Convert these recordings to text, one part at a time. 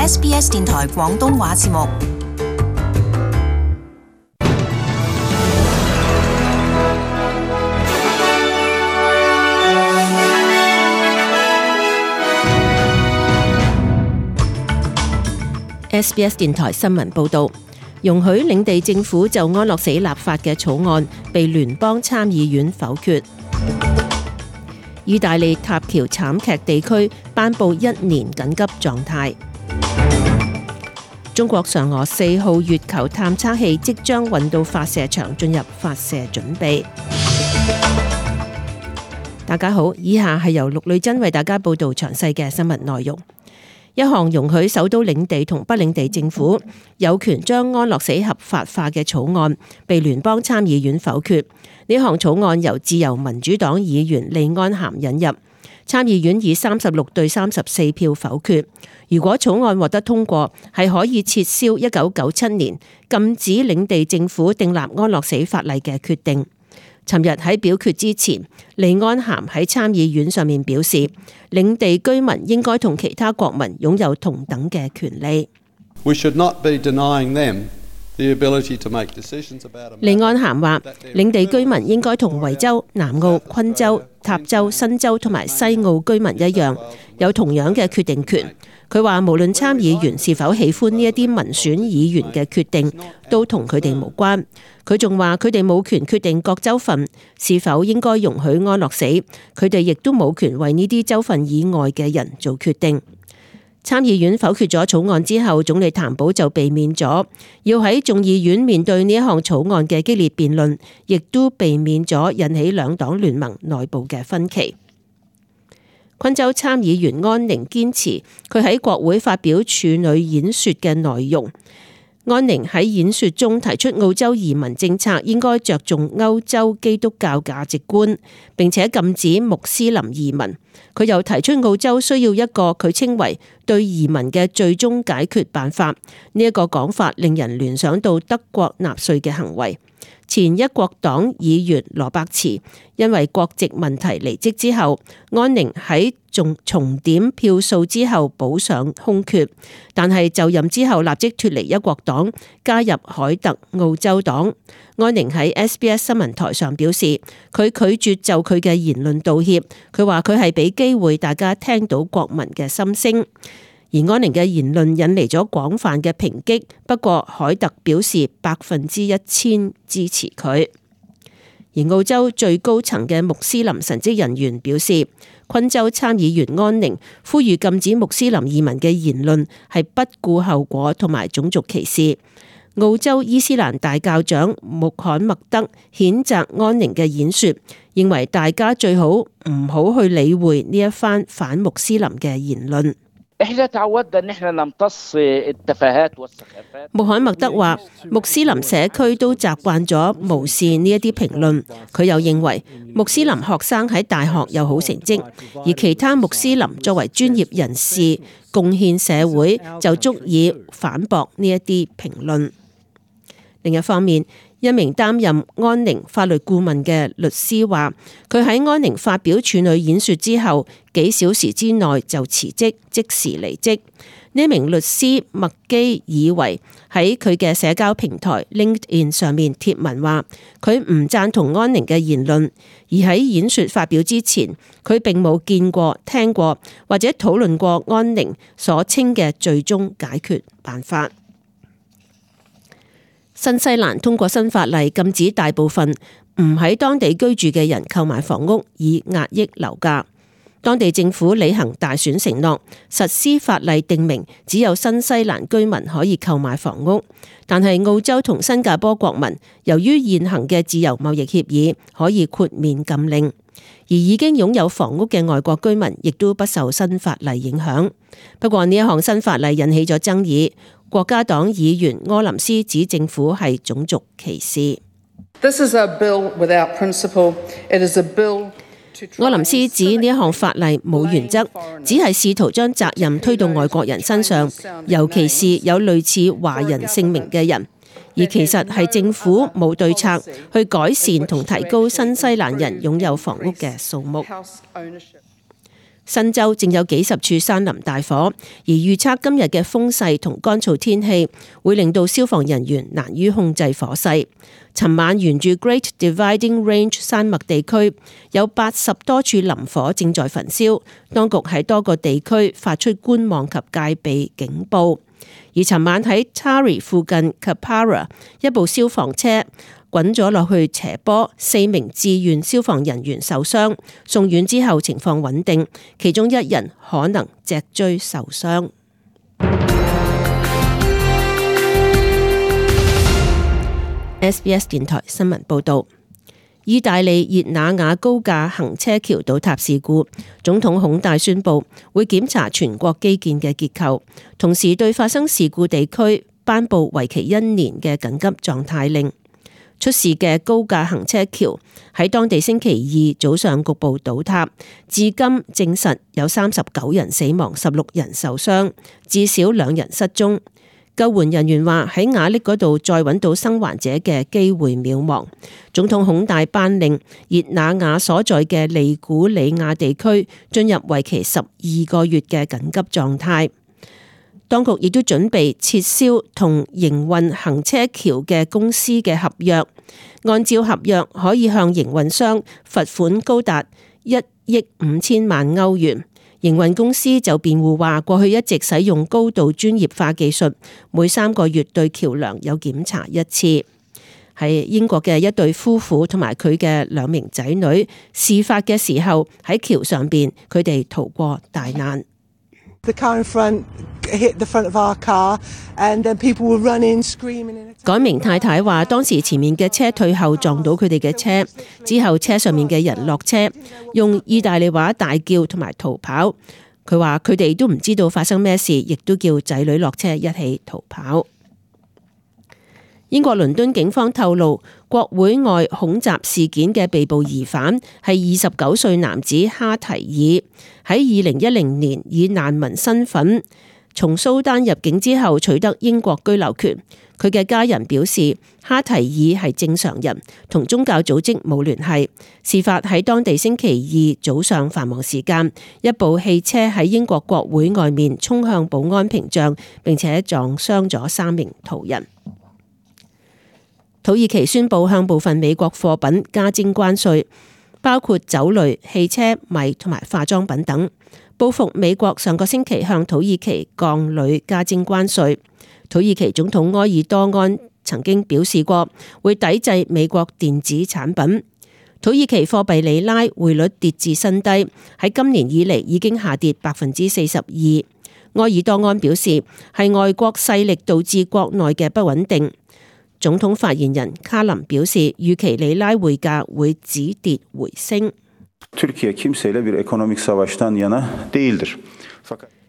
SBS 電台廣東話節目。SBS 電台新聞報導，容許領地政府就安樂死立法嘅草案被聯邦參議院否決。意大利塔橋慘劇地區頒布1年緊急狀態。中國嫦娥4號月球探測器即將運到發射場進入發射準備。大家好，以下係由陸女珍為大家報導詳細嘅新聞內容。一項容許首都領地同不領地政府有權將安樂死合法化嘅草案被聯邦參議院否決。呢項草案由自由民主黨議員利安咸引入，參議院以36對34票否決。如果草案獲得通過，係可以撤銷1997年禁止領地政府訂立安樂死法例嘅決定。尋日喺表決之前，利安咸喺參議院上面表示，領地居民應該同其他國民擁有同等嘅權利。利安咸話，領地居民應該同維州、南澳、昆州、塔州、新州同埋西澳居民一樣，有同樣嘅決定權。佢話無論參議員是否喜歡呢一啲民選議員嘅決定，都同佢哋無關。佢仲話佢哋冇權決定各州份是否應該容許安樂死，佢哋亦都冇權為呢啲州份以外嘅人做決定。參議院否決咗草案之後，總理譚寶就避免咗要喺眾議院面對呢一項草案嘅激烈辯論，亦都避免咗引起兩黨聯盟內部嘅分歧。昆州參議員安寧堅持佢喺國會發表處女演說嘅內容。安寧喺演說中提出澳洲移民政策應該着重歐洲基督教價值觀，並且禁止穆斯林移民。佢又提出澳洲需要一個佢稱為對移民嘅最終解決辦法。呢一個講法令人聯想到德國納粹嘅行為。前一國黨議員羅伯茨因為國籍問題離職之後，安寧喺重點票數之後補上空缺，但係就任之後立即脫離一國黨，加入凱特澳洲黨。安寧喺 SBS 新聞台上表示，佢拒絕就佢嘅言論道歉。佢話佢係俾機會大家聽到國民嘅心聲。而安寧嘅言論引嚟咗廣泛嘅抨擊，不過凱特表示1000%支持佢。而澳洲最高層嘅穆斯林神職人員表示，昆州參議員安寧呼籲禁止穆斯林移民嘅言論係不顧後果同埋種族歧視。澳洲伊斯蘭大教長穆罕默德譴責安寧嘅演說，認為大家最好唔好去理會呢一番反穆斯林嘅言論。穆罕默德話，穆斯林社區都習慣咗無視呢一啲評論。佢又認為穆斯林學生喺大學有好成績，而其他穆斯林作為專業人士貢獻社會就足以反駁呢一啲評論。另一方面，一名擔任安寧法律顧問嘅律師話，佢喺安寧發表處女演說之後幾小時之內就辭職，即時離職。呢名律師麥基爾維喺佢嘅社交平台 LinkedIn 上面貼文話，佢唔贊同安寧嘅言論，而喺演說發表之前，佢並冇見過、聽過或者討論過安寧所稱嘅最終解決辦法。新西蘭通過新法例禁止大部分唔喺當地居住嘅人購買房屋，以壓抑樓價。當地政府履行大選承諾，實施法例定明只有新西蘭居民可以購買房屋，但係澳洲同新加坡國民由於現行嘅自由貿易協議可以豁免禁令，而已經擁有房屋嘅外國居民亦都不受新法例影響。不過呢一項新法例引起咗爭議，國家黨議員柯林斯指政府係種族歧視。柯林斯指呢一項法例冇原則，只係試圖將責任推到外國人身上，尤其是有類似華人姓名嘅人，而其實係政府冇對策去改善同提高新西蘭人擁有房屋嘅數目。新州正有幾十處山林大火，而預測今日嘅風勢同乾燥天氣會令到消防人員難於控制火勢。尋晚沿住 Great Dividing Range 山脈地區有80多處林火正在焚燒，當局喺多個地區發出觀望及戒備警報。而尋晚喺 Taree 附近 Kapara 一部消防車滾咗落去斜坡，4名志願消防人員受傷，送院之後情況穩定，其中1人可能脊椎受傷。SBS 電台新聞報道：意大利熱那亞高架行車橋倒塌事故，總統孔戴宣布會檢查全國基建嘅結構，同時對發生事故地區頒布為期1年嘅緊急狀態令。出事嘅高架行車橋喺當地星期2早上局部倒塌，至今證實有39人死亡，16人受傷，至少2人失蹤。救援人員話喺瓦礫嗰度再揾到生還者嘅機會渺茫。總統孔戴頒令熱那亞所在嘅利古里亞地區進入為期12個月嘅緊急狀態。當局亦都準備撤銷同營運行車橋嘅公司嘅合約，按照合約可以向營運商罰款高達1億5千萬歐元。營運公司就辯護話，過去一直使用高度專業化技術，每3個月對橋樑有檢查1次。係英國嘅一對夫婦同埋佢嘅2名仔女，事發嘅時候喺橋上邊，佢哋逃過大難。該名太太話，當時前面嘅車退後撞到佢哋嘅車，之後車上面嘅人落車，用意大利話大叫同埋逃跑。佢話佢哋都唔知道發生咩事，亦都叫仔女落車一起逃跑。英國倫敦警方透露，國會外恐襲事件嘅被捕疑犯係29歲男子哈提爾，喺2010年以難民身份從蘇丹入境之後取得英國居留權。佢嘅家人表示，哈提爾係正常人，同宗教組織冇聯繫。事發喺當地星期2早上繁忙時間，一部汽車喺英國國會外面衝向保安屏障，並且撞傷咗3名途人。土耳其宣布向部分美國貨品加徵關稅，包括酒類、汽車、米同埋化妝品等，報復美國上個星期向土耳其鋼鋁加徵關稅。土耳其總統埃爾多安曾經表示過會抵制美國電子產品。土耳其貨幣里拉匯率跌至新低，喺今年以嚟已經下跌42%。埃爾多安表示係外國勢力導致國內嘅不穩定。總統發言人卡林表示，預期里拉匯價會止跌回升。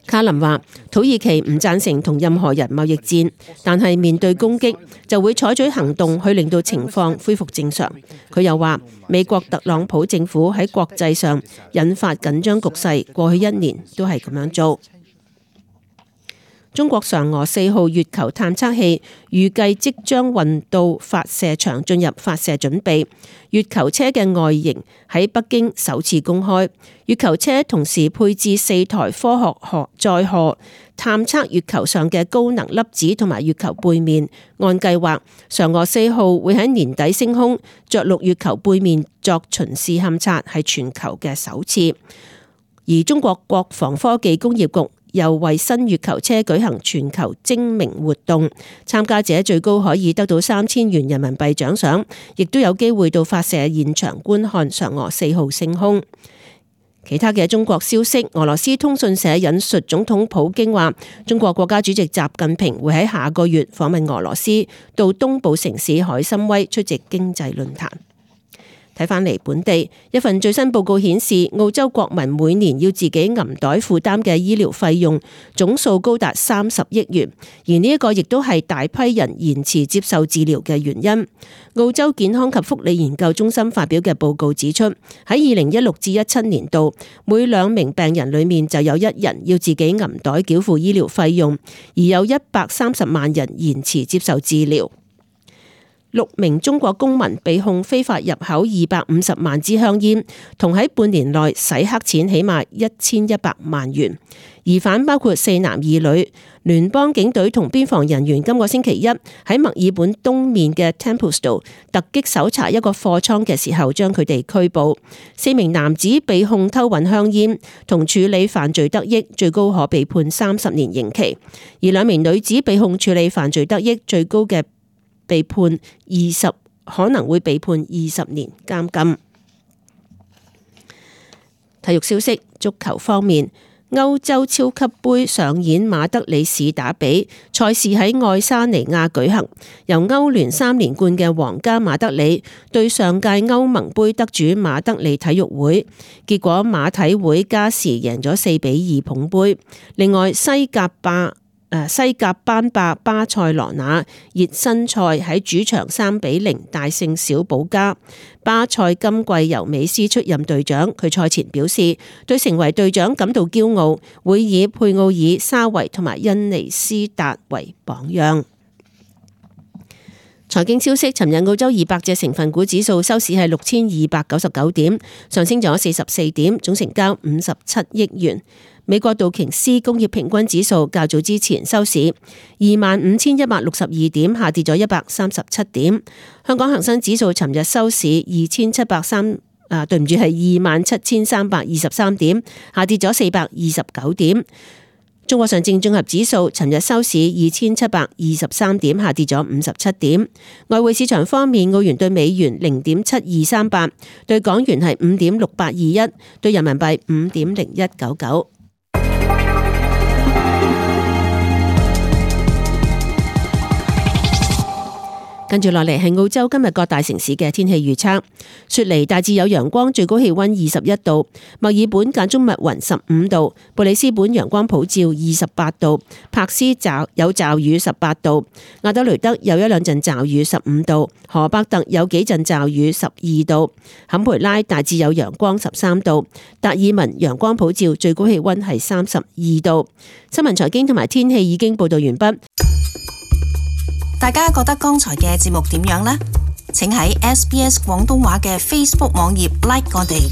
卡林話，土耳其唔贊成同任何人貿易戰，但係面對攻擊就會採取行動去令到情況恢復正常。佢又話，美國特朗普政府喺國際上引發緊張局勢，過去1年都係咁樣做。中國嫦娥4號月球探測器預計即將運到發射場進入發射準備。月球車嘅外形喺北京首次公開。月球車同時配置4台科學載荷，探測月球上嘅高能粒子同埋月球背面。按計劃，嫦娥4號會喺年底升空，着陸月球背面作巡視勘測，係全球嘅首次。而中國國防科技工業局又為新月球車舉行全球徵名活動，參加者最高可以得到3000元人民幣獎賞，亦都有機會到發射現場觀看嫦娥4號升空。其他嘅中國消息，俄羅斯通訊社引述總統普京話，中國國家主席習近平會喺下個月訪問俄羅斯，到東部城市海參崴出席經濟論壇。睇返嚟本地，一份最新報告顯示，澳洲國民每年要自己銀袋負擔嘅醫療費用總數高達30億元，而呢一個亦都係大批人延遲接受治療嘅原因。澳洲健康及福利研究中心發表嘅報告指出，喺2016至17年度，每2名病人裏面就有1人要自己銀袋繳付醫療費用，而有130萬人延遲接受治療。6名中國公民被控非法入口250萬支香煙，同喺半年內洗黑錢起碼1100萬元。疑犯包括4男2女。聯邦警隊同邊防人員今個星期一喺墨爾本東面嘅 Templestowe 突擊搜查一個貨倉嘅時候，將佢哋拘捕。4名男子被控偷運香煙同處理犯罪得益，最高可被判30年刑期；而2名女子被控處理犯罪得益，最高嘅可能會被判20年監禁。體育消息，足球方面。歐洲超級杯上演馬德里市打比，賽事喺愛沙尼亞舉行，由歐聯3連冠嘅皇家馬德里對上屆歐盟杯得主馬德里體育會，結果馬體會加時贏咗4-2捧杯。另外西甲班霸巴塞羅那熱身賽喺主場3-0大勝小保加。巴塞今季由美斯出任隊長，佢賽前表示對成為隊長感到驕傲，會以佩奧爾、沙維同埋恩尼斯達為榜樣。財經消息，尋日澳洲200隻成分股指數收市係6299點，上升咗44點，總成交57億元。美國道瓊斯工業平均指數較早之前收市25,162點，下跌咗137點。香港恒生指數尋日收市27,323點，下跌咗429點。中國上證綜合指數尋日收市2723點，下跌咗57點。外匯市場方面，澳元對美元0.7238，對港元係5.6821，對人民幣5.0199。跟住落嚟係澳洲今日各大城市嘅天氣預測。雪梨大致有陽光，最高氣溫21度；墨爾本間中密雲15度；布里斯本陽光普照28度；柏斯有驟雨18度；亞德雷德有1、2陣驟雨15度；荷伯特有幾陣驟雨12度；坎培拉大致有陽光13度；達爾文陽光普照，最高氣溫係32度。新聞財經同埋天氣已經報道完畢。大家覺得剛才嘅節目點樣呢？請喺SBS 廣東話嘅 Facebook 網頁 like 我哋。